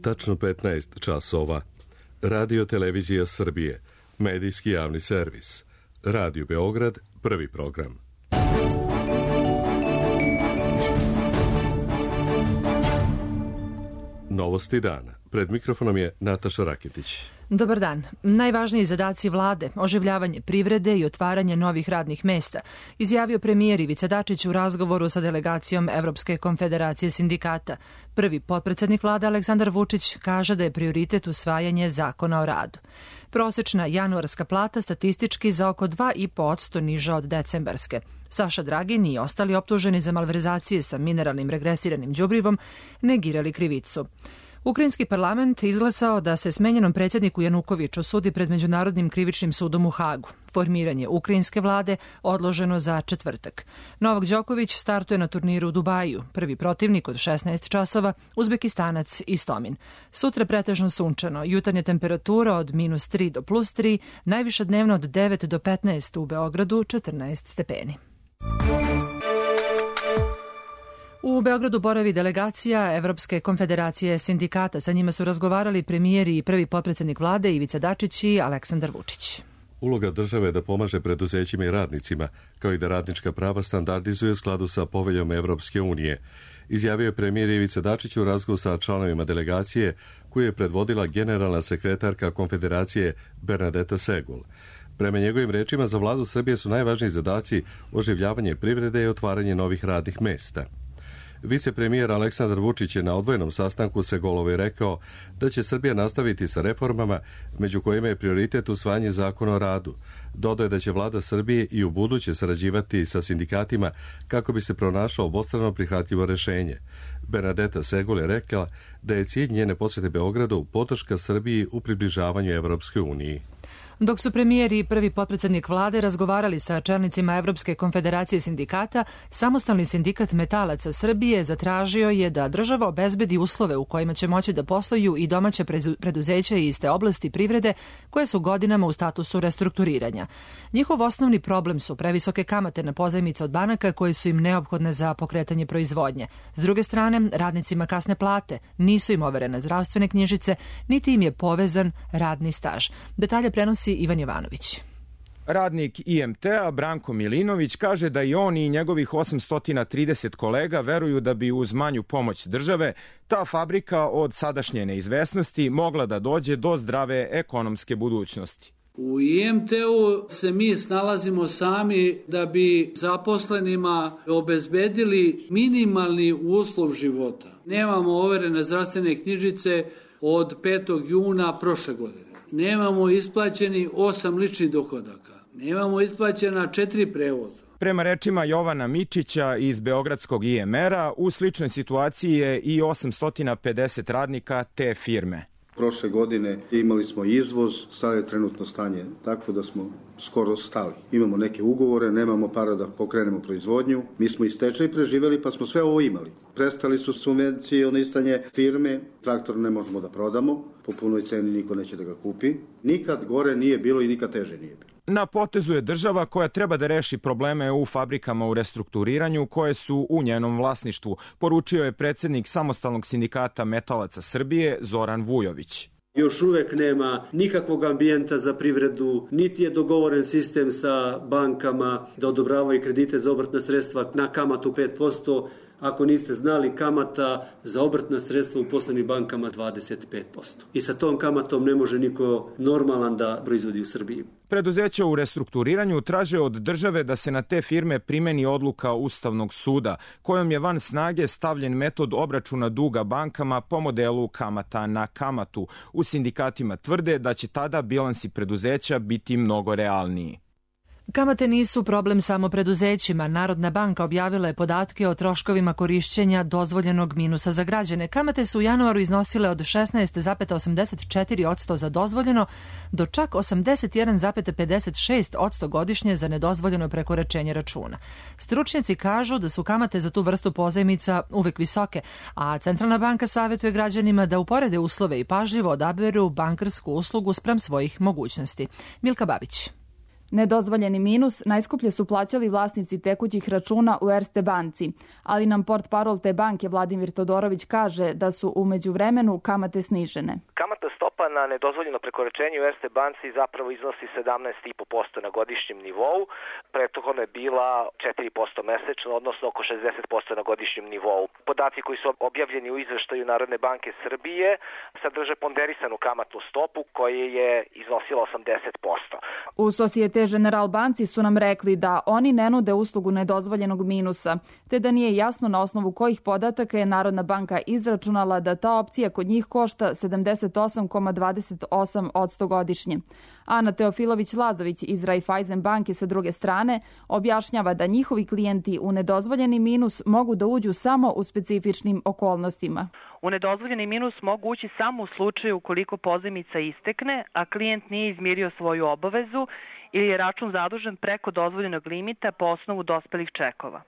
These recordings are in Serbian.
tačno 15 časova. Radio Televizija Srbije, medijski javni servis. Radio Beograd, prvi program. Novosti dana. Pred mikrofonom je Nataša Raketić. Dobar dan. Najvažniji zadaci vlade, oživljavanje privrede i otvaranje novih radnih mesta, izjavio premijer Ivica Dačić u razgovoru sa delegacijom Evropske konfederacije sindikata. Prvi potpredsednik vlade Aleksandar Vučić kaže da je prioritet usvajanje zakona o radu. Prosečna januarska plata statistički za oko 2,5% niža od decembarske. Saša Dragin i ostali optuženi za malverzacije sa mineralnim regresiranim đubrivom negirali krivicu. Ukrajinski parlament izglasao da se smenjenom predsjedniku Janukoviću sudi pred Međunarodnim krivičnim sudom u Hagu. Formiranje ukrajinske vlade odloženo za četvrtak. Novak Đoković startuje na turniru u Dubaju. Prvi protivnik od 16 časova, Uzbekistanac Istomin. Sutra pretežno sunčano, jutarnja temperatura od -3 do +3, najviša dnevno od 9 do 15 u Beogradu, 14 stepeni. U Beogradu boravi delegacija Evropske konfederacije sindikata. Sa njima su razgovarali premijer i prvi potpredsednik vlade Ivica Dačić i Aleksandar Vučić. Uloga države je da pomaže preduzećima i radnicima, kao i da radnička prava standardizuje u skladu sa poveljom Evropske unije, izjavio je premijer Ivica Dačić u razgovoru sa članovima delegacije koju je predvodila generalna sekretarka Konfederacije Bernadeta Segul. Prema njegovim rečima, za vladu Srbije su najvažniji zadaci oživljavanje privrede i otvaranje novih radnih mesta. Vicepremijer Aleksandar Vučić je na odvojenom sastanku Segolovi rekao da će Srbija nastaviti sa reformama, među kojima je prioritet usvajanje zakona o radu. Dodao je da će vlada Srbije i u buduće sarađivati sa sindikatima kako bi se pronašao obostrano prihvatljivo rešenje. Bernadeta Segul je rekla da je cilj njene posete Beogradu podrška Srbiji u približavanju Evropskoj uniji. Dok su premijer i prvi potpredsednik vlade razgovarali sa čelnicima Evropske konfederacije sindikata, samostalni sindikat metalaca Srbije zatražio je da država obezbedi uslove u kojima će moći da posluju i domaće preduzeća iz te oblasti privrede koje su godinama u statusu restrukturiranja. Njihov osnovni problem su previsoke kamate na pozajmice od banaka koje su im neophodne za pokretanje proizvodnje. S druge strane, radnicima kasne plate, nisu im overene zdravstvene knjižice, niti im je povezan radni staž. Detalje prenosi Ivan Jovanović. Radnik IMT-a Branko Milinović kaže da i on i njegovih 830 kolega veruju da bi uz manju pomoć države ta fabrika od sadašnje neizvesnosti mogla da dođe do zdrave ekonomske budućnosti. U IMT-u se mi snalazimo sami da bi zaposlenima obezbedili minimalni uslov života. Nemamo overene zdravstvene knjižice od 5. juna prošle godine. Nemamo isplaćeni 8 ličnih dohodaka. Nemamo isplaćena 4 prevoza. Prema rečima Jovana Mičića iz Beogradskog IMR-a, u sličnoj situaciji je i 850 radnika te firme. Prošle godine imali smo izvoz, sad je trenutno stanje takvo da smo skoro stali. Imamo neke ugovore, nemamo para da pokrenemo proizvodnju. Mi smo i stečaj preživjeli pa smo sve ovo imali. Prestali su subvencionisanje firme, traktor ne možemo da prodamo, po punoj ceni niko neće da ga kupi. Nikad gore nije bilo i nikad teže nije bilo. Na potezu je država koja treba da reši probleme u fabrikama u restrukturiranju koje su u njenom vlasništvu, poručio je predsjednik Samostalnog sindikata metalaca Srbije Zoran Vujović. Još uvek nema nikakvog ambijenta za privredu, niti je dogovoren sistem sa bankama da odobravaju kredite za obrtna sredstva na kamatu 5%. Ako niste znali, kamata za obrtna sredstva u poslovnim bankama 25%. I sa tom kamatom ne može niko normalan da proizvodi u Srbiji. Preduzeća u restrukturiranju traže od države da se na te firme primeni odluka Ustavnog suda, kojom je van snage stavljen metod obračuna duga bankama po modelu kamata na kamatu. U sindikatima tvrde da će tada bilansi preduzeća biti mnogo realniji. Kamate nisu problem samo preduzećima. Narodna banka objavila je podatke o troškovima korišćenja dozvoljenog minusa za građane. Kamate su u januaru iznosile od 16,84% za dozvoljeno do čak 81,56% godišnje za nedozvoljeno prekoračenje računa. Stručnjaci kažu da su kamate za tu vrstu pozajmica uvek visoke, a Centralna banka savjetuje građanima da uporede uslove i pažljivo odaberu bankarsku uslugu spram svojih mogućnosti. Milka Babić. Nedozvoljeni minus najskuplje su plaćali vlasnici tekućih računa u Erste banci, ali nam portparol te banke Vladimir Todorović kaže da su u međuvremenu kamate snižene. Kamatna stopa na nedozvoljeno prekoračenje u Erste banci zapravo iznosi 17,5% na godišnjem nivou. Prethodno je bila 4% mesečno, odnosno oko 60% na godišnjem nivou. Podaci koji su objavljeni u izveštaju Narodne banke Srbije sadrže ponderisanu kamatnu stopu koja je iznosila 80%. U Societe General banci su nam rekli da oni ne nude uslugu nedozvoljenog minusa, te da nije jasno na osnovu kojih podataka je Narodna banka izračunala da ta opcija kod njih košta 78,28% godišnje. Ana Teofilović-Lazović iz Raiffeisen banke sa druge strane objašnjava da njihovi klijenti u nedozvoljeni minus mogu da uđu samo u specifičnim okolnostima. U nedozvoljeni minus mogu ući samo u slučaju ukoliko pozajmica istekne, a klijent nije izmirio svoju obavezu ili je račun zadužen preko dozvoljenog limita po osnovu dospelih čekova.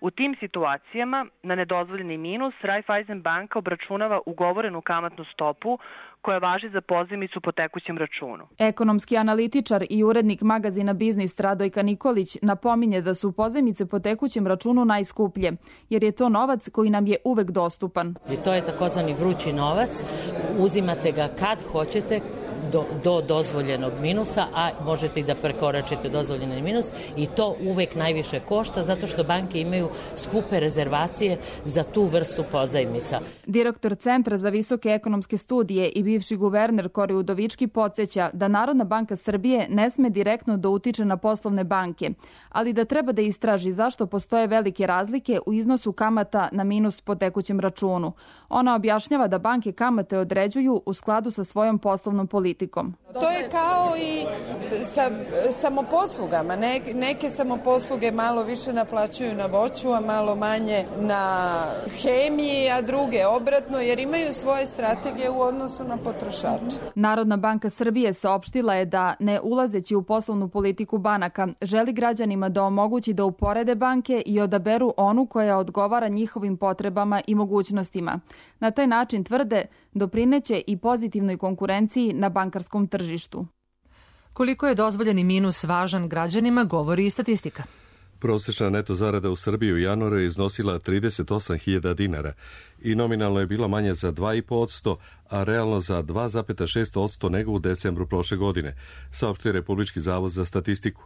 U tim situacijama na nedozvoljeni minus Raiffeisen banka obračunava ugovorenu kamatnu stopu koja važi za pozajmicu po tekućem računu. Ekonomski analitičar i urednik magazina Biznis Radojka Nikolić napominje da su pozajmice po tekućem računu najskuplje, jer je to novac koji nam je uvek dostupan. I to je takozvani vrući novac, uzimate ga kad hoćete, do dozvoljenog minusa, a možete i da prekoračite dozvoljeni minus i to uvek najviše košta zato što banke imaju skupe rezervacije za tu vrstu pozajmica. Direktor Centra za visoke ekonomske studije i bivši guverner Kori Udovički podsjeća da Narodna banka Srbije ne sme direktno da utiče na poslovne banke, ali da treba da istraži zašto postoje velike razlike u iznosu kamata na minus po tekućem računu. Ona objašnjava da banke kamate određuju u skladu sa svojom poslovnom politikom. To je kao i sa samoposlugama. Neke samoposluge malo više naplaćuju na voću, a malo manje na hemiji, a druge obratno, jer imaju svoje strategije u odnosu na potrošače. Narodna banka Srbije saopštila je da, ne ulazeći u poslovnu politiku banaka, želi građanima da omogući da uporede banke i odaberu onu koja odgovara njihovim potrebama i mogućnostima. Na taj način, tvrde, doprineće i pozitivnoj konkurenciji na bankarskom tržištu. Koliko je dozvoljeni minus važan građanima, govori i statistika. Prosječna neto zarada u Srbiji u januaru je iznosila 38.000 dinara i nominalno je bila manja za 2,5%, a realno za 2,6% nego u decembru prošle godine, saopštio je Republički zavod za statistiku.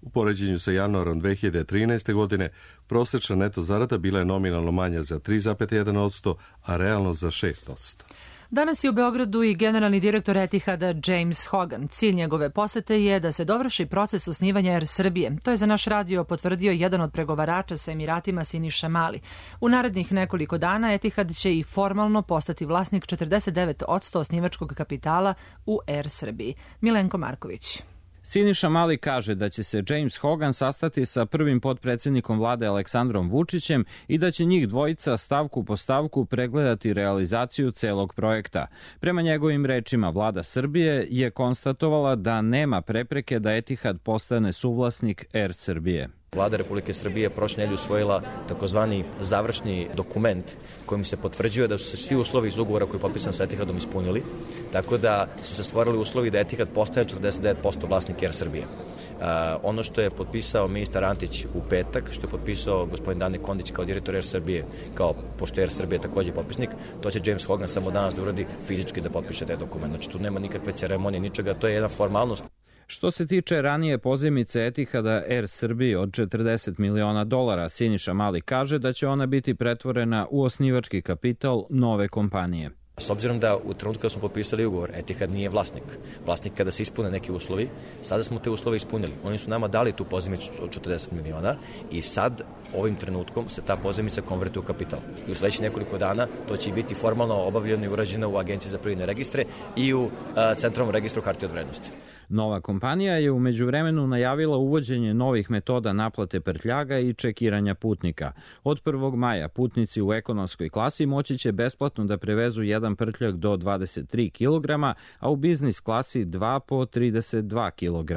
U poređenju sa januarom 2013. godine prosječna neto zarada bila je nominalno manja za 3,1%, a realno za 6%. Danas je u Beogradu i generalni direktor Etihada James Hogan. Cilj njegove posete je da se dovrši proces osnivanja Air Srbije. To je za naš radio potvrdio jedan od pregovarača sa Emiratima Siniša Mali. U narednih nekoliko dana Etihad će i formalno postati vlasnik 49% osnivačkog kapitala u Air Srbiji. Milenko Marković. Siniša Mali kaže da će se James Hogan sastati sa prvim potpredsjednikom vlade Aleksandrom Vučićem i da će njih dvojica stavku po stavku pregledati realizaciju celog projekta. Prema njegovim rečima, vlada Srbije je konstatovala da nema prepreke da Etihad postane suvlasnik Air Srbije. Vlada Republike Srbije prošle nedelje usvojila takozvani završni dokument kojim se potvrđuje da su se svi uslovi iz ugovora koji je potpisan sa Etihadom ispunili, tako da su se stvorili uslovi da Etihad postane 49% vlasnik Air Srbije. Ono što je potpisao ministar Antić u petak, što je potpisao gospodin Dane Kondić kao direktor Air Srbije, pošto Air Srbije takođe popisnik, to će James Hogan samo danas da uradi fizički da potpiše taj dokument. Znači tu nema nikakve ceremonije, ničega, to je jedna formalnost. Što se tiče ranije pozajmice Etihada Air Srbije od $40 miliona, Siniša Mali kaže da će ona biti pretvorena u osnivački kapital nove kompanije. S obzirom da u trenutku kada smo potpisali ugovor, Etihad nije vlasnik. Vlasnik kada se ispune neki uslovi, sada smo te uslove ispunili. Oni su nama dali tu pozajmicu od 40 miliona i sad ovim trenutkom se ta pozajmica konvertuje u kapital. I u sledećih nekoliko dana to će biti formalno obavljeno i urađeno u Agenciji za privredne registre i u Centralnom registru hartija od vrednosti. Nova kompanija je u međuvremenu najavila uvođenje novih metoda naplate prtljaga i čekiranja putnika. Od 1. maja putnici u ekonomskoj klasi moći će besplatno da prevezu jedan prtljag do 23 kg, a u biznis klasi 2 po 32 kg.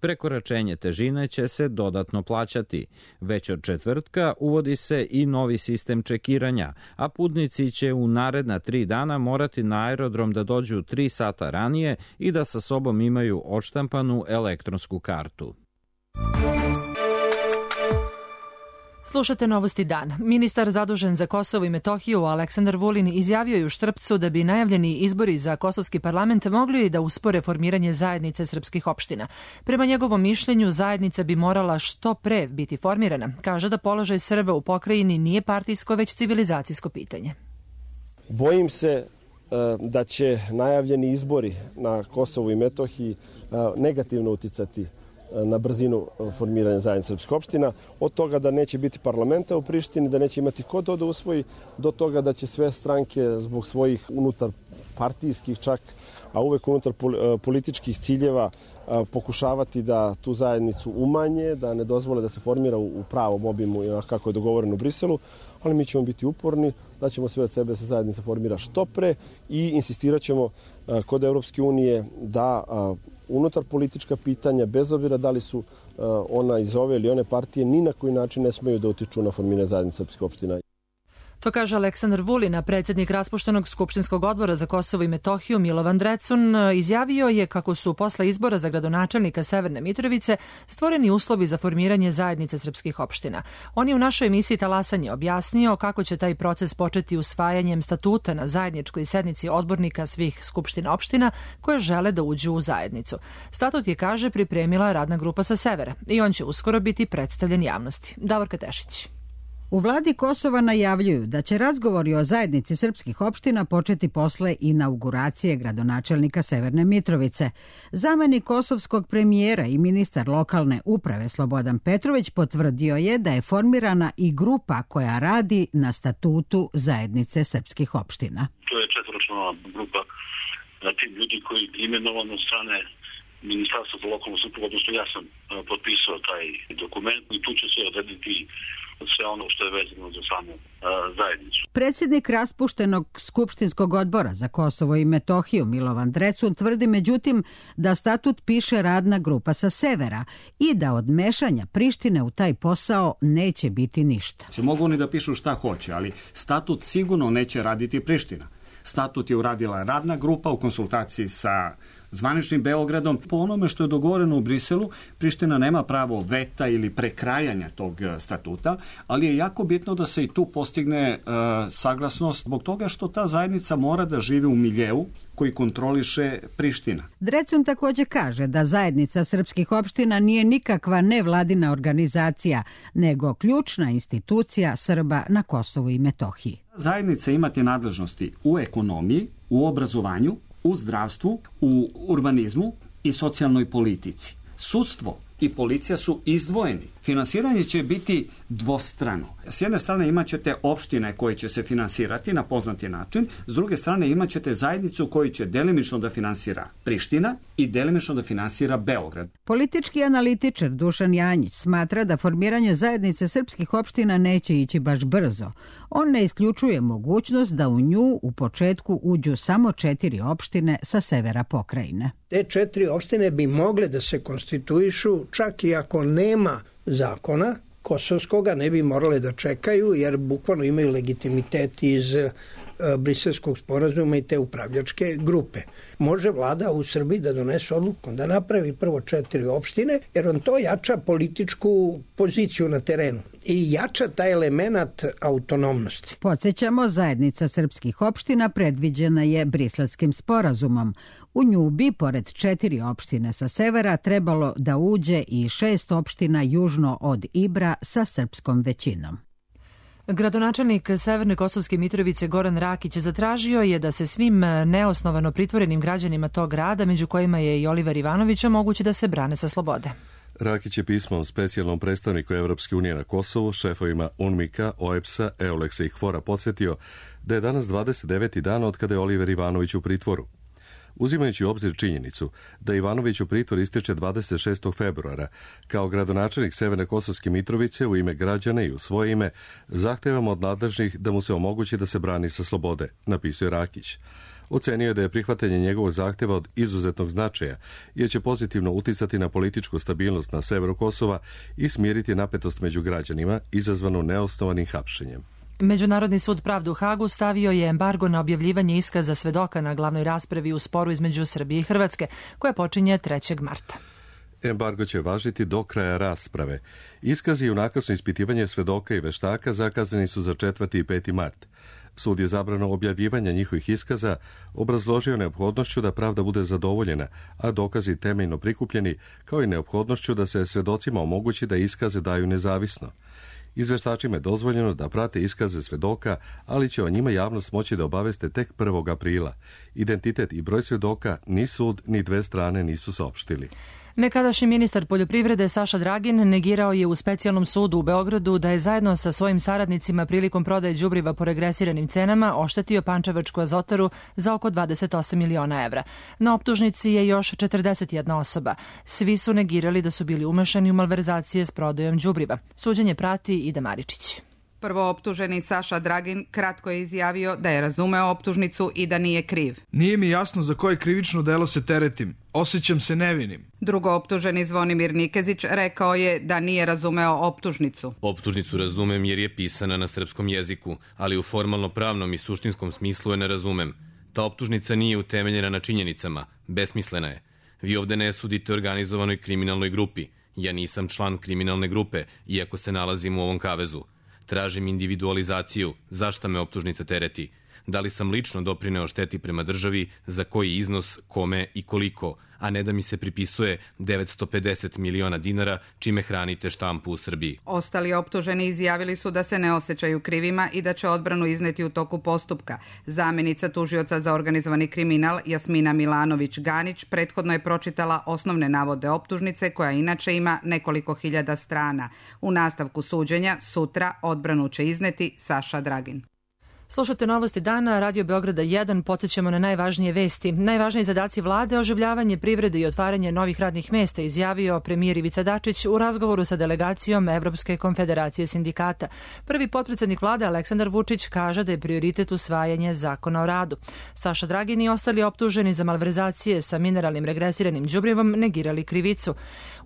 Prekoračenje težine će se dodatno plaćati. Već od četvrtka uvodi se i novi sistem čekiranja, a putnici će u naredna 3 dana morati na aerodrom da dođu 3 sata ranije i da sa sobom imaju odštampanu elektronsku kartu. Slušate Novosti dan. Ministar zadužen za Kosovo i Metohiju Aleksandar Vulin izjavio je u Štrpcu da bi najavljeni izbori za kosovski parlament mogli da uspore formiranje zajednice srpskih opština. Prema njegovom mišljenju, zajednica bi morala što pre biti formirana. Kaže da položaj Srba u pokrajini nije partijsko, već civilizacijsko pitanje. Bojim se da će najavljeni izbori na Kosovu i Metohiji negativno uticati na brzinu formiranja zajednice srpskih opština, od toga da neće biti parlamenta u Prištini, da neće imati ko to da usvoji, do toga da će sve stranke zbog svojih unutar partijskih čak, a uvek unutar političkih ciljeva pokušavati da tu zajednicu umanje, da ne dozvole da se formira u pravom obimu kako je dogovoreno u Briselu, ali mi ćemo biti uporni, da ćemo sve od sebe da se zajednica formira što pre i insistirat ćemo kod Evropske unije da unutar politička pitanja, bez obzira da li su ona iz ove ili one partije, ni na koji način ne smeju da utiču na formiranje zajednice srpskih opština. To kaže Aleksandar Vulin, a predsjednik raspuštenog Skupštinskog odbora za Kosovo i Metohiju Milovan Drecun izjavio je kako su posle izbora za gradonačelnika Severne Mitrovice stvoreni uslovi za formiranje zajednice srpskih opština. On je u našoj emisiji Talasanje objasnio kako će taj proces početi usvajanjem statuta na zajedničkoj sednici odbornika svih skupština opština koje žele da uđu u zajednicu. Statut je, kaže, pripremila radna grupa sa severa i on će uskoro biti predstavljen javnosti. Davorka Tešić. U vladi Kosova najavljuju da će razgovori o zajednici srpskih opština početi posle inauguracije gradonačelnika Severne Mitrovice. Zamenik kosovskog premijera i ministar lokalne uprave Slobodan Petrović potvrdio je da je formirana i grupa koja radi na statutu zajednice srpskih opština. To je četvoročlana grupa tim ljudi koji je imenovan od strane Ministarstva za lokalnu samoupravu, odnosno ja sam potpisao taj dokument i tu će se odrediti sve ono što je vezano za samu zajednicu. Predsjednik raspuštenog Skupštinskog odbora za Kosovo i Metohiju Milovan Drecun tvrdi međutim da statut piše radna grupa sa severa i da od mešanja Prištine u taj posao neće biti ništa. Mogu oni da pišu šta hoće, ali statut sigurno neće raditi Priština. Statut je uradila radna grupa u konsultaciji sa zvaničnim Beogradom. Po onome što je dogovoreno u Briselu, Priština nema pravo veta ili prekrajanja tog statuta, ali je jako bitno da se i tu postigne saglasnost zbog toga što ta zajednica mora da živi u miljeu koji kontroliše Priština. Drecun također kaže da zajednica srpskih opština nije nikakva nevladina organizacija, nego ključna institucija Srba na Kosovu i Metohiji. Zajednica imate nadležnosti u ekonomiji, u obrazovanju, u zdravstvu, u urbanizmu i socijalnoj politici. Sudstvo i policija su izdvojeni. Finansiranje će biti dvostrano. S jedne strane imat ćete opštine koje će se finansirati na poznati način, s druge strane imat ćete zajednicu koju će delimično da finansira Priština i delimično da finansira Beograd. Politički analitičar Dušan Janjić smatra da formiranje zajednice srpskih opština neće ići baš brzo. On ne isključuje mogućnost da u nju u početku uđu samo 4 opštine sa severa pokrajine. Te 4 opštine bi mogle da se konstituišu čak i ako nema zakona kosovskoga, ne bi morale da čekaju jer bukvalno imaju legitimitet iz Briselskog sporazuma i te upravljačke grupe. Može vlada u Srbiji da donese odluku da napravi prvo 4 opštine jer on to jača političku poziciju na terenu i jača taj element autonomnosti. Podsjećamo, zajednica srpskih opština predviđena je Briselskim sporazumom. U nju bi, pored 4 opštine sa severa, trebalo da uđe i 6 opština južno od Ibra sa srpskom većinom. Gradonačelnik Severne Kosovske Mitrovice Goran Rakić zatražio je da se svim neosnovano pritvorenim građanima tog grada, među kojima je i Oliver Ivanović, omogući da se brane sa slobode. Rakić je pismom specijalnom predstavniku Evropske unije na Kosovu, šefovima UNMIK-a, OEBS-a, EULEX-a i HVOR-a podsjetio da je danas 29. dan od kada je Oliver Ivanović u pritvoru. Uzimajući u obzir činjenicu da Ivanović u pritvor ističe 26. februara, kao gradonačelnik Severne Kosovske Mitrovice u ime građana i u svoje ime, zahtevamo od nadležnih da mu se omogući da se brani sa slobode, napisao je Rakić. Ocenio je da je prihvatanje njegovog zahteva od izuzetnog značaja, jer će pozitivno uticati na političku stabilnost na severu Kosova i smiriti napetost među građanima izazvanu neosnovanim hapšenjem. Međunarodni sud pravde u Hagu stavio je embargo na objavljivanje iskaza svedoka na glavnoj raspravi u sporu između Srbije i Hrvatske, koja počinje 3. marta. Embargo će važiti do kraja rasprave. Iskazi i unakrsno ispitivanje svedoka i veštaka zakazani su za 4. i 5. mart. Sud je zabrano objavljivanja njihovih iskaza obrazložio neophodnošću da pravda bude zadovoljena, a dokazi temeljno prikupljeni, kao i neophodnošću da se svedocima omogući da iskaze daju nezavisno. Izveštačima je dozvoljeno da prate iskaze svedoka, ali će o njima javnost moći da obaveste tek 1. aprila. Identitet i broj svedoka ni sud ni dve strane nisu saopštili. Nekadašnji ministar poljoprivrede Saša Dragin negirao je u specijalnom sudu u Beogradu da je zajedno sa svojim saradnicima prilikom prodaje đubriva po regresiranim cenama oštetio Pančevačku azotaru za oko 28 miliona evra. Na optužnici je još 41 osoba. Svi su negirali da su bili umešani u malverzacije s prodajom đubriva. Suđenje prati Ida Maričić. Prvooptuženi Saša Dragin kratko je izjavio da je razumeo optužnicu i da nije kriv. Nije mi jasno za koje krivično delo se teretim. Osjećam se nevinim. Drugooptuženi Zvonimir Nikezić rekao je da nije razumeo optužnicu. Optužnicu razumem jer je pisana na srpskom jeziku, ali u formalno-pravnom i suštinskom smislu je ne razumem. Ta optužnica nije utemeljena na činjenicama, besmislena je. Vi ovde ne sudite organizovanoj kriminalnoj grupi. Ja nisam član kriminalne grupe, iako se nalazim u ovom kavezu. Tražim individualizaciju. Zašta me optužnica tereti? Da li sam lično doprineo šteti prema državi, za koji iznos, kome i koliko, a ne da mi se pripisuje 950 miliona dinara čime hranite štampu u Srbiji. Ostali optuženi izjavili su da se ne osjećaju krivima i da će odbranu izneti u toku postupka. Zamenica tužioca za organizovani kriminal Jasmina Milanović-Ganić prethodno je pročitala osnovne navode optužnice koja inače ima nekoliko hiljada strana. U nastavku suđenja sutra odbranu će izneti Saša Dragin. Slušate Novosti dana, Radio Beograda 1, podsjećamo na najvažnije vesti. Najvažniji zadaci vlade, oživljavanje privrede i otvaranje novih radnih mesta, izjavio premijer Ivica Dačić u razgovoru sa delegacijom Evropske konfederacije sindikata. Prvi potpredsednik vlade Aleksandar Vučić kaže da je prioritet usvajanje zakona o radu. Saša Dragin i ostali optuženi za malverzacije sa mineralnim regresiranim đubrivom negirali krivicu.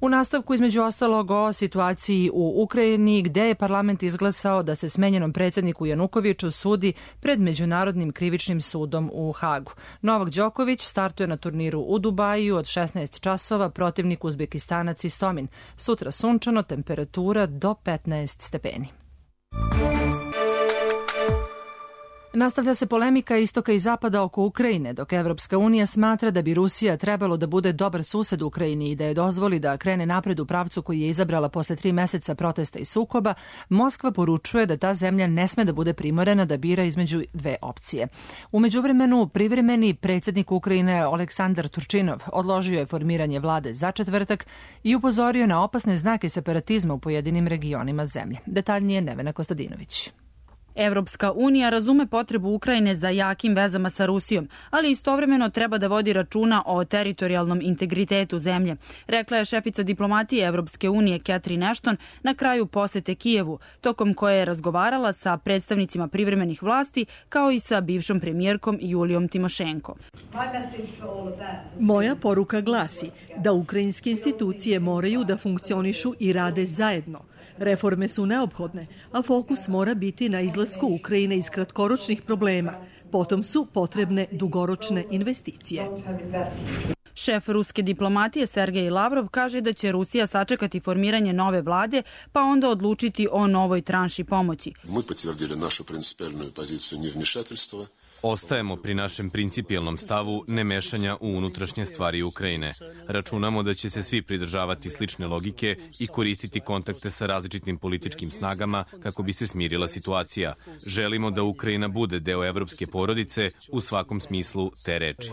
U nastavku između ostalog o situaciji u Ukrajini, gde je parlament izglasao da se smenjenom predsedniku Janukoviću sudi pred Međunarodnim krivičnim sudom u Hagu. Novak Đoković startuje na turniru u Dubaju od 16 časova, protivnik Uzbekistanac Istomin. Sutra sunčano, temperatura do 15 stepeni. Nastavlja se polemika istoka i zapada oko Ukrajine, dok Evropska unija smatra da bi Rusija trebalo da bude dobar sused Ukrajini i da je dozvoli da krene napred u pravcu koji je izabrala posle 3 meseca protesta i sukoba, Moskva poručuje da ta zemlja ne sme da bude primorena da bira između dve opcije. U međuvremenu, privremeni predsjednik Ukrajine Oleksandar Turčinov odložio je formiranje vlade za četvrtak i upozorio na opasne znake separatizma u pojedinim regionima zemlje. Detaljnije Nevena Kostadinović. Evropska unija razume potrebu Ukrajine za jakim vezama sa Rusijom, ali istovremeno treba da vodi računa o teritorijalnom integritetu zemlje, rekla je šefica diplomatije Evropske unije Catherine Ashton na kraju posete Kijevu, tokom koje je razgovarala sa predstavnicima privremenih vlasti kao i sa bivšom premijerkom Julijom Timošenko. Moja poruka glasi da ukrajinske institucije moraju da funkcionišu i rade zajedno. Reforme su neophodne, a fokus mora biti na izlasku Ukrajine iz kratkoročnih problema. Potom su potrebne dugoročne investicije. Šef ruske diplomatije Sergej Lavrov kaže da će Rusija sačekati formiranje nove vlade, pa onda odlučiti o novoj tranši pomoći. Mi potvrdili našu principijelnu poziciju nevmešateljstva. Ostajemo pri našem principijelnom stavu nemešanja u unutrašnje stvari Ukrajine. Računamo da će se svi pridržavati slične logike i koristiti kontakte sa različitim političkim snagama kako bi se smirila situacija. Želimo da Ukrajina bude deo evropske porodice u svakom smislu te reči.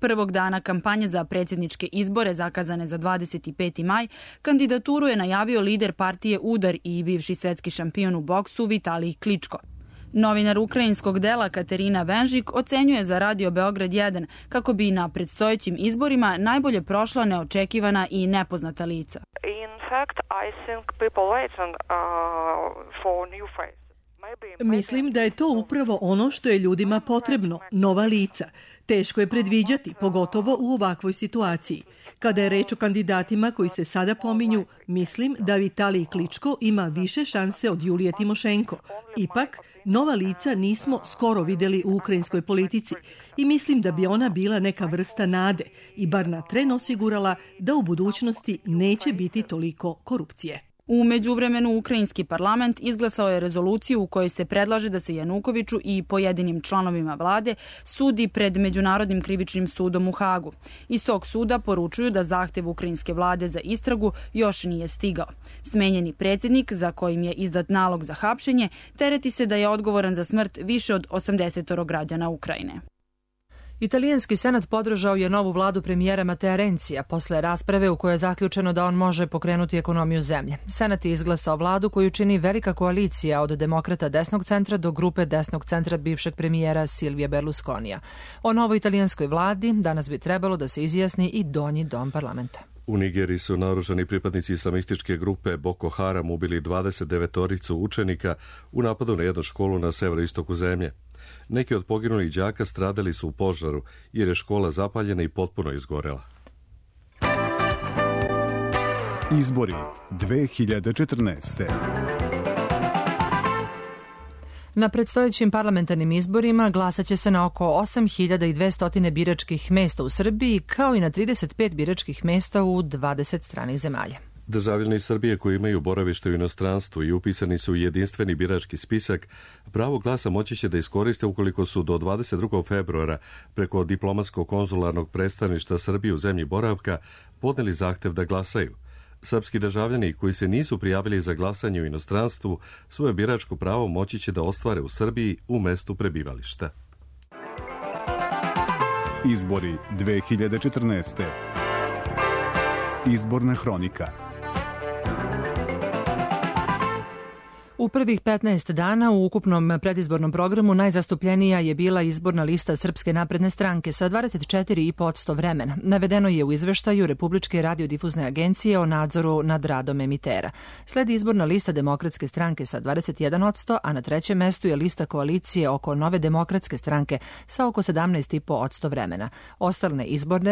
Prvog dana kampanje za predsjedničke izbore zakazane za 25. maj, kandidaturu je najavio lider partije Udar i bivši svetski šampion u boksu Vitalij Kličko. Novinar ukrajinskog dela Katerina Venžik ocenjuje za Radio Beograd 1 kako bi na predstojećim izborima najbolje prošla neočekivana i nepoznata lica. Mislim da je to upravo ono što je ljudima potrebno, nova lica. Teško je predviđati, pogotovo u ovakvoj situaciji. Kada je reč o kandidatima koji se sada pominju, mislim da Vitalij Kličko ima više šanse od Julije Timošenko. Ipak, nova lica nismo skoro videli u ukrajinskoj politici i mislim da bi ona bila neka vrsta nade i bar na tren osigurala da u budućnosti neće biti toliko korupcije. U međuvremenu ukrajinski parlament izglasao je rezoluciju u kojoj se predlaže da se Janukoviću i pojedinim članovima vlade sudi pred Međunarodnim krivičnim sudom u Hagu. Iz tog suda poručuju da zahtev ukrajinske vlade za istragu još nije stigao. Smenjeni predsjednik, za kojim je izdat nalog za hapšenje, tereti se da je odgovoran za smrt više od 80 građana Ukrajine. Italijanski senat podržao je novu vladu premijera Matea Rencija posle rasprave u kojoj je zaključeno da on može pokrenuti ekonomiju zemlje. Senat je izglasao vladu koju čini velika koalicija od demokrata desnog centra do grupe desnog centra bivšeg premijera Silvija Berlusconija. O novoj italijanskoj vladi danas bi trebalo da se izjasni i donji dom parlamenta. U Nigeriji su naoružani pripadnici islamističke grupe Boko Haram ubili 29 učenika u napadu na jednu školu na severoistoku zemlje. Neki od poginulih đaka stradali su u požaru jer je škola zapaljena i potpuno izgorela. Izbori 2014. Na predstojećim parlamentarnim izborima glasaće se na oko 8.200 biračkih mesta u Srbiji, kao i na 35 biračkih mesta u 20 stranih zemalja. Državljani Srbije koji imaju boravište u inostranstvu i upisani su u jedinstveni birački spisak, pravo glasa moći će da iskoriste ukoliko su do 22. februara preko diplomatsko-konzularnog predstavništva Srbije u zemlji boravka podneli zahtev da glasaju. Srpski državljani koji se nisu prijavili za glasanje u inostranstvu svoje biračko pravo moći će da ostvare u Srbiji u mestu prebivališta. Izbori 2014. Izborna hronika. U prvih 15 dana u ukupnom predizbornom programu najzastupljenija je bila izborna lista Srpske napredne stranke sa 24,5% vremena. Navedeno je u izveštaju Republičke radiodifuzne agencije o nadzoru nad radom emitera. Sledi izborna lista Demokratske stranke sa 21%, a na trećem mestu je lista koalicije oko Nove demokratske stranke sa oko 17,5% vremena.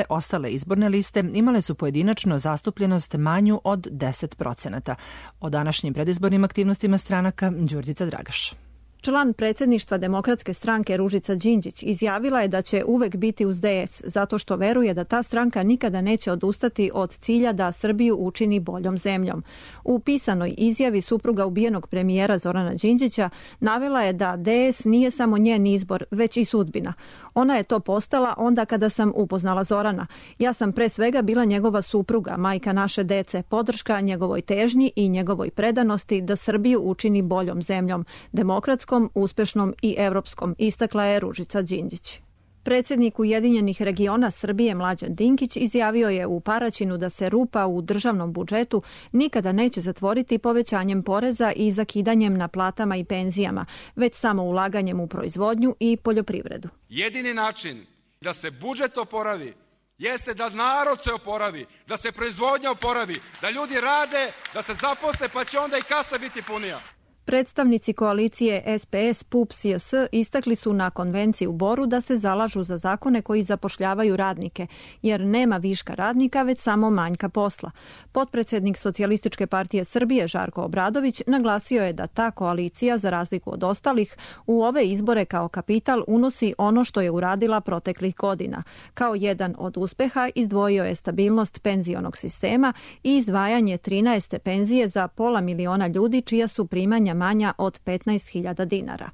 Ostale izborne liste imale su pojedinačno zastupljenost manju od 10%. O današnjim predizbornim aktivnostima stranaka Đurđica Dragaš. Član predsjedništva Demokratske stranke Ružica Đinđić izjavila je da će uvek biti uz DS zato što veruje da ta stranka nikada neće odustati od cilja da Srbiju učini boljom zemljom. U pisanoj izjavi supruga ubijenog premijera Zorana Đinđića navela je da DS nije samo njen izbor, već i sudbina. Ona je to postala onda kada sam upoznala Zorana. Ja sam pre svega bila njegova supruga, majka naše dece, podrška njegovoj težnji i njegovoj predanosti da Srbiju učini boljom zemljom, demokratskom, uspešnom i evropskom, istakla je Ružica Đinđić. Predsjednik Ujedinjenih regiona Srbije Mlađan Dinkić izjavio je u Paraćinu da se rupa u državnom budžetu nikada neće zatvoriti povećanjem poreza i zakidanjem na platama i penzijama, već samo ulaganjem u proizvodnju i poljoprivredu. Jedini način da se budžet oporavi jeste da narod se oporavi, da se proizvodnja oporavi, da ljudi rade, da se zaposle, pa će onda i kasa biti punija. Predstavnici koalicije SPS, PUP, SJS istakli su na konvenciji u Boru da se zalažu za zakone koji zapošljavaju radnike, jer nema viška radnika, već samo manjka posla. Potpredsjednik Socijalističke partije Srbije Žarko Obradović naglasio je da ta koalicija, za razliku od ostalih, u ove izbore kao kapital unosi ono što je uradila proteklih godina. Kao jedan od uspeha izdvojio je stabilnost penzionog sistema i izdvajanje 13. penzije za 500.000 ljudi čija su primanja manja od 15.000 dinara.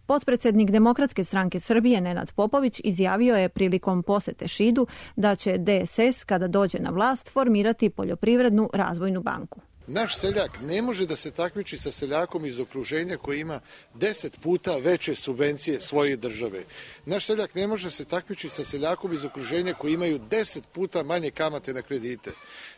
Potpredsjednik Demokratske stranke Srbije Nenad Popović izjavio je prilikom posete Šidu da će DSS kada dođe na vlast formirati poljoprivrednu razvojnu banku. Naš seljak ne može da se takmiči sa seljakom iz okruženja koji ima 10 puta veće subvencije svoje države. Naš seljak ne može se takmiči sa seljakom iz okruženja koji imaju 10 puta manje kamate na kredite.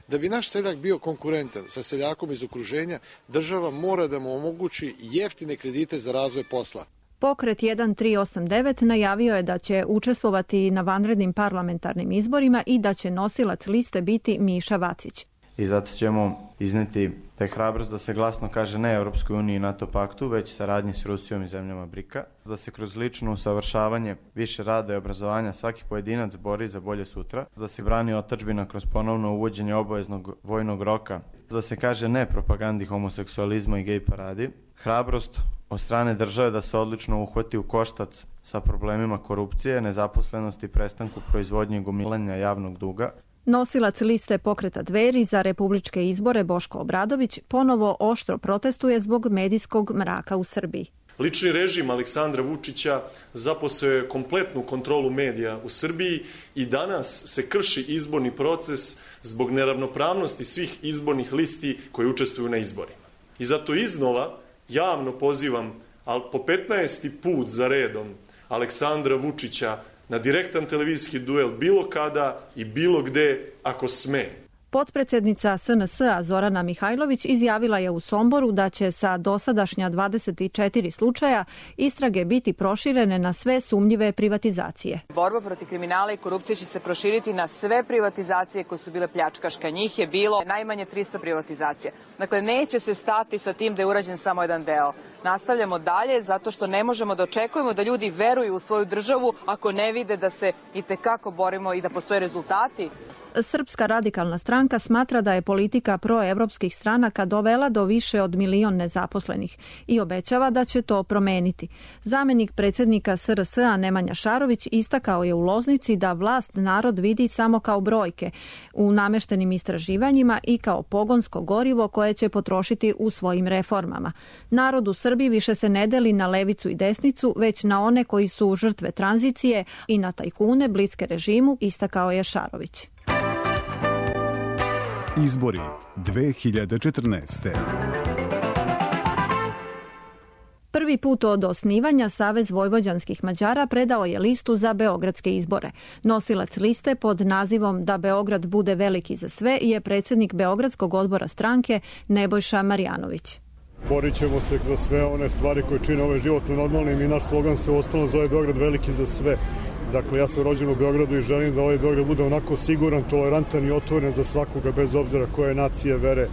Da bi naš seljak bio konkurentan sa seljakom iz okruženja, država mora da mu omogući jeftine kredite za razvoj posla. Pokret 1389 najavio je da će učestvovati na vanrednim parlamentarnim izborima i da će nosilac liste biti Miša Vacić. I zato ćemo izneti da je hrabrost da se glasno kaže ne Europskoj uniji i NATO paktu, već saradnji s Rusijom i zemljama BRIK-a, da se kroz lično usavršavanje, više rada i obrazovanja svaki pojedinac bori za bolje sutra, da se brani otadžbina kroz ponovno uvođenje obaveznog vojnog roka, da se kaže ne propagandi homoseksualizma i gej paradi, hrabrost od strane države da se odlično uhvati u koštac sa problemima korupcije, nezaposlenosti i prestanku proizvodnje i gomilanja javnog duga. Nosilac liste Pokreta Dveri za republičke izbore Boško Obradović ponovo oštro protestuje zbog medijskog mraka u Srbiji. Lični režim Aleksandra Vučića zaposeo je kompletnu kontrolu medija u Srbiji i danas se krši izborni proces zbog neravnopravnosti svih izbornih listi koji učestvuju na izborima. I zato iznova javno pozivam, ali po 15. put za redom, Aleksandra Vučića na direktan televizijski duel bilo kada i bilo gde ako sme. Potpredsednica SNS-a Zorana Mihajlović izjavila je u Somboru da će sa dosadašnja 24 slučaja istrage biti proširene na sve sumnjive privatizacije. Borba protiv kriminala i korupcije će se proširiti na sve privatizacije koje su bile pljačkaške. Njih je bilo najmanje 300 privatizacija. Dakle, neće se stati sa tim da je urađen samo jedan deo. Nastavljamo dalje zato što ne možemo da očekujemo da ljudi veruju u svoju državu ako ne vide da se itekako borimo i da postoje rezultati. Srpska radikalna stranka smatra da je politika proevropskih stranaka dovela do više od 1 milion nezaposlenih i obećava da će to promeniti. Zamenik predsjednika SRS-a Nemanja Šarović istakao je u Loznici da vlast narod vidi samo kao brojke u nameštenim istraživanjima i kao pogonsko gorivo koje će potrošiti u svojim reformama. Narod u Srbiji više se ne deli na levicu i desnicu, već na one koji su žrtve tranzicije i na tajkune bliske režimu, istakao je Šarović. Izbori 2014. Prvi put od osnivanja Savez vojvođanskih Mađara predao je listu za beogradske izbore. Nosilac liste pod nazivom Da Beograd bude veliki za sve je predsjednik Beogradskog odbora stranke Nebojša Marjanović. Borit ćemo se za sve one stvari koje čine ove životno normalnim i naš slogan se uostalom zove Beograd veliki za sve. Dakle, ja sam rođen u Beogradu i želim da ovaj Beograd bude onako siguran, tolerantan i otvoren za svakoga bez obzira koje nacije, vere.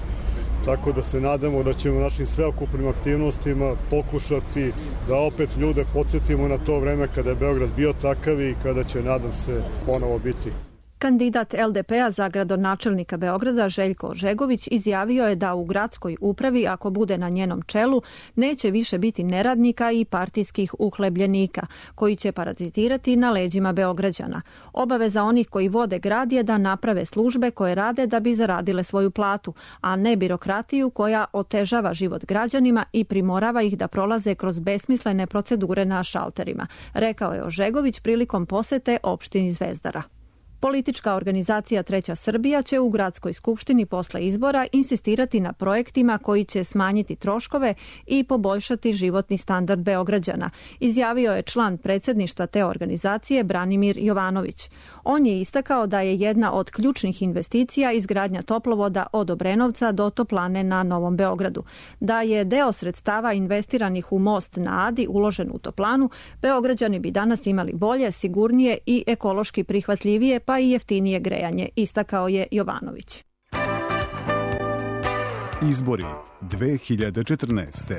Tako da se nadamo da ćemo našim sveokupnim aktivnostima pokušati da opet ljude podsjetimo na to vreme kada je Beograd bio takav i kada će, nadam se, ponovo biti. Kandidat LDP-a za gradonačelnika Beograda Željko Ožegović izjavio je da u gradskoj upravi, ako bude na njenom čelu, neće više biti neradnika i partijskih uhlebljenika, koji će parazitirati na leđima Beograđana. Obaveza onih koji vode grad je da naprave službe koje rade da bi zaradile svoju platu, a ne birokratiju koja otežava život građanima i primorava ih da prolaze kroz besmislene procedure na šalterima, rekao je Ožegović prilikom posete opštini Zvezdara. Politička organizacija Treća Srbija će u gradskoj skupštini posle izbora insistirati na projektima koji će smanjiti troškove i poboljšati životni standard Beograđana, izjavio je član predsjedništva te organizacije Branimir Jovanović. On je istakao da je jedna od ključnih investicija izgradnja toplovoda od Obrenovca do Toplane na Novom Beogradu. Da je deo sredstava investiranih u most na Adi uložen u Toplanu, Beograđani bi danas imali bolje, sigurnije i ekološki prihvatljivije pa i jeftinije grejanje, istakao je Jovanović. Izbori 2014.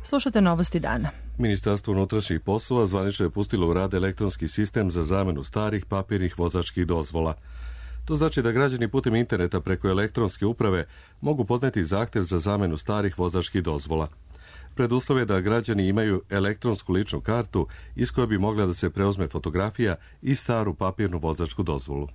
Slušate novosti dana. Ministarstvo unutrašnjih poslova zvanično je pustilo u rad elektronski sistem za zamenu starih papirnih vozačkih dozvola. To znači da građani putem interneta preko elektronske uprave mogu podneti zahtev za zamenu starih vozačkih dozvola. Preduslov je da građani imaju elektronsku ličnu kartu iz koje bi mogla da se preuzme fotografija i staru papirnu vozačku dozvolu.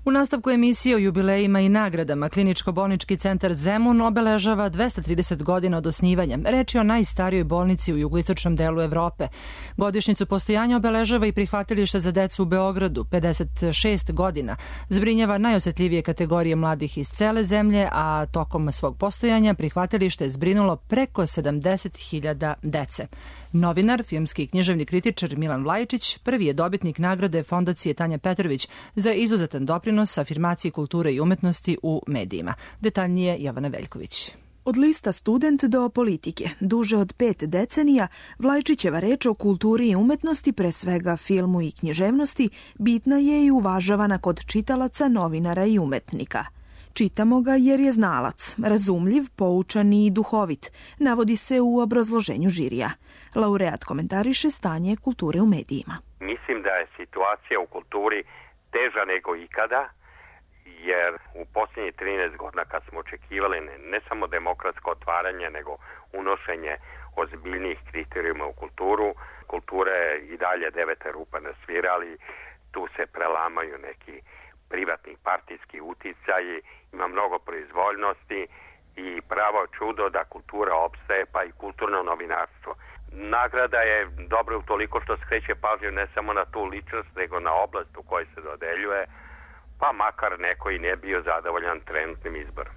U nastavku emisije o jubilejima i nagradama Kliničko-bolnički centar Zemun obeležava 230 godina od osnivanja. Reč je o najstarijoj bolnici u jugoistočnom delu Evrope. Godišnjicu postojanja obeležava i prihvatilište za decu u Beogradu, 56 godina. Zbrinjava najosetljivije kategorije mladih iz cele zemlje, a tokom svog postojanja prihvatilište je zbrinulo preko 70.000 dece. Novinar, filmski i književni kritičar Milan Vlajičić prvi je dobitnik nagrade Fondacije Tanja Petrović za izuzetan doprinos afirmaciji kulture i umetnosti u medijima. Detaljnije Jovana Veljković. Od lista Student do politike, duže od 5 decenija, Vlajčićeva reč o kulturi i umetnosti, pre svega filmu i književnosti, bitna je i uvažavana kod čitalaca, novinara i umetnika. Čitamo ga jer je znalac, razumljiv, poučan i duhovit, navodi se u obrazloženju žirija. Laureat komentariše stanje kulture u medijima. Mislim da je situacija u kulturi teža nego ikada, jer u posljednjih 13 godina kad smo očekivali ne samo demokratsko otvaranje, nego unošenje ozbiljnijih kriterijuma u kulturu, kultura je i dalje deveta rupa na svirali, tu se prelamaju neki privatni partijski uticaji, ima mnogo proizvoljnosti i pravo čudo da kultura opstaje, pa i kulturno novinarstvo. Nagrada je dobra utoliko što skreće pažnju ne samo na tu ličnost, nego na oblast u kojoj se dodeljuje, pa makar neko i ne bio zadovoljan trenutnim izborom.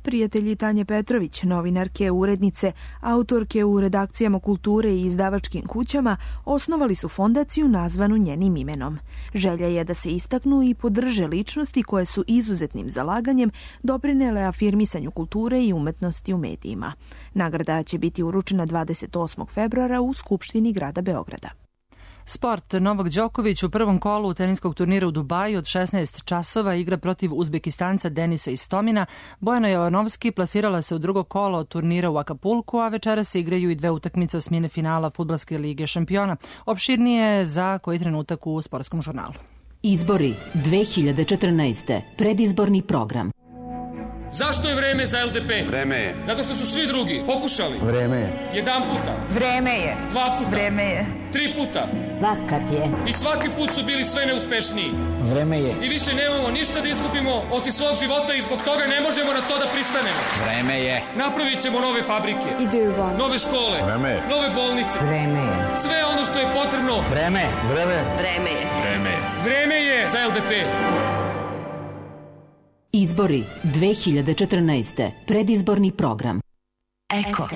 Prijatelji Tanje Petrović, novinarke, urednice, autorke u redakcijama kulture i izdavačkim kućama, osnovali su fondaciju nazvanu njenim imenom. Želja je da se istaknu i podrže ličnosti koje su izuzetnim zalaganjem doprinele afirmisanju kulture i umetnosti u medijima. Nagrada će biti uručena 28. februara u Skupštini grada Beograda. Sport. Novak Đoković u prvom kolu teniskog turnira u Dubaju od 16 časova igra protiv Uzbekistanca Denisa Istomina. Bojana Jovanovski plasirala se u drugo kolo turnira u Akapulku, a večera se igraju i dve utakmice osmine finala Fudbalske lige šampiona. Opširnije za koji trenutak u Sportskom žurnalu. Izbori 2014. Predizborni program. Zašto je vreme za LDP? Vreme je. Zato što su svi drugi pokušali. Vreme je. Jedan puta. Vreme je. Dva puta. Vreme je. 3 puta. Vakat je. I svaki put su bili sve neuspešniji. Vreme je. I više nemamo ništa da izgubimo osim svog života i zbog toga ne možemo na to da pristanemo. Vreme je. Napravit ćemo nove fabrike. Idemo. Nove škole. Vreme je. Nove bolnice. Vreme je. Sve ono što je potrebno. Vreme. Vreme. Vreme je. Vreme je. Vreme je za LDP. Izbori 2014. Predizborni program. Eko.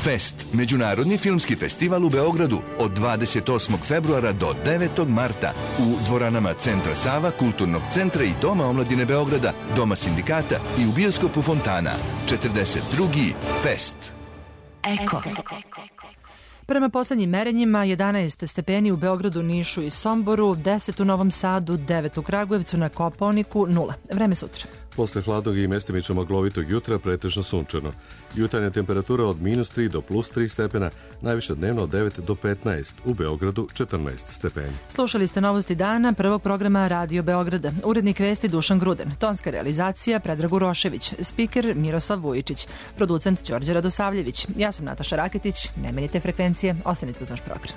Fest, međunarodni filmski festival u Beogradu od 28. februara do 9. marta u dvoranama Centra Sava, Kulturnog centra i Doma omladine Beograda, Doma sindikata i u bioskopu Fontana. 42. Fest. Eko. Prema poslednjim merenjima 11 stepeni u Beogradu, Nišu i Somboru, 10 u Novom Sadu, 9 u Kragujevcu, na Kopaoniku 0. Vreme sutra. Posle hladnog i mestimično maglovitog jutra pretežno sunčano. Jutarnja temperatura od -3 do +3 stepena, najviše dnevno od 9 do 15, u Beogradu 14 stepeni. Slušali ste novosti dana prvog programa Radio Beograda. Urednik vesti Dušan Gruden, tonska realizacija Predrag Urošević, spiker Miroslav Vujičić, producent Đorđe Radosavljević. Ja sam Nataša Raketić, ne menjite frekvencije, ostanite uz naš program.